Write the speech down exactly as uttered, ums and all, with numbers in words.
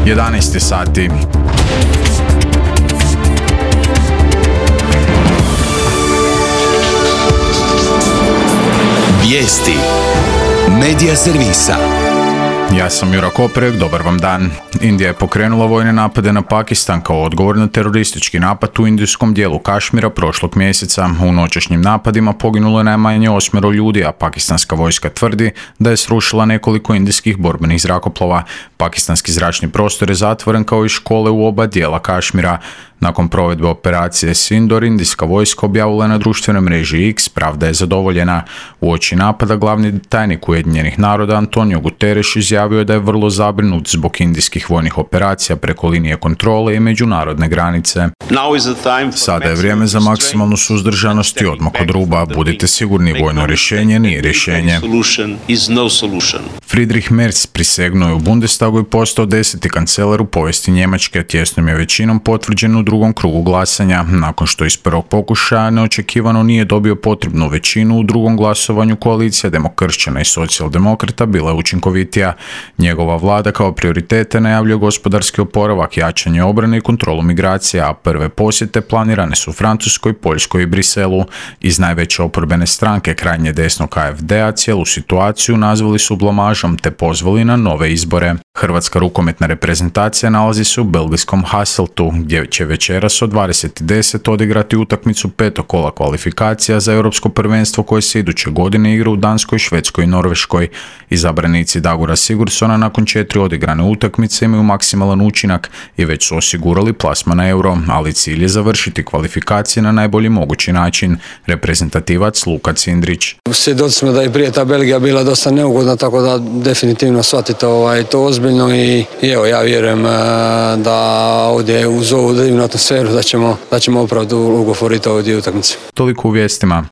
jedanaest sati. Vijesti Medija servisa. Ja sam Jura Koprek, dobar vam dan. Indija je pokrenula vojne napade na Pakistan kao odgovor na teroristički napad u indijskom dijelu Kašmira prošlog mjeseca. U noćašnjim napadima poginulo je najmanje osmero ljudi, a pakistanska vojska tvrdi da je srušila nekoliko indijskih borbenih zrakoplova. Pakistanski zračni prostor je zatvoren kao i škole u oba dijela Kašmira. Nakon provedbe operacije Sindor, indijska vojska objavila je na društvenoj mreži X pravda je zadovoljena. Uoči napada glavni tajnik Ujedinjenih naroda Antonio Guterres izjavio je da je vrlo zabrinut zbog indijskih vojnih operacija preko linije kontrole i međunarodne granice. Sada je vrijeme za maksimalnu suzdržanost i odmak od ruba. Budite sigurni, vojno rješenje nije rješenje. Friedrich Merz prisegnuo je u Bundestagu i postao deseti kancelar u povijesti Njemačke. Tjesnom je većinom potvrđen u drugom krugu glasanja. Nakon što iz prvog pokušaja neočekivano nije dobio potrebnu većinu, u drugom glasovanju koalicija demokršćana i socijaldemokrata bila je učinkovitija. Njegova vlada kao prioritete najavljuje gospodarski oporavak, jačanje obrane i kontrolu migracija, a prve posjete planirane su Francuskoj, Poljskoj i Briselu. Iz najveće oporbene stranke krajnje desnog A F D-a cijelu situaciju nazvali su blamažom te pozvali na nove izbore. Hrvatska rukometna reprezentacija nalazi se u belgijskom Hasseltu, gdje će večeras od dvadeset i deset odigrati utakmicu petog kola kvalifikacija za europsko prvenstvo koje se iduće godine igra u Danskoj, Švedskoj i Norveškoj. Izabranici Dagora Sigurdsona nakon četiri odigrane utakmice imaju maksimalan učinak i već su osigurali plasman na euro, ali cilj je završiti kvalifikacije na najbolji mogući način. Reprezentativac Luka Cindrić. Svjedoci smo da je prije ta Belgija bila dosta neugodna, tako da definitivno shvatite ovaj, to ozbiljno i, i evo ja vjerujem da ovdje uz ovu divnu atmosferu da ćemo, da ćemo opravdu ugovoriti ovdje utakmice. Toliko u vijestima.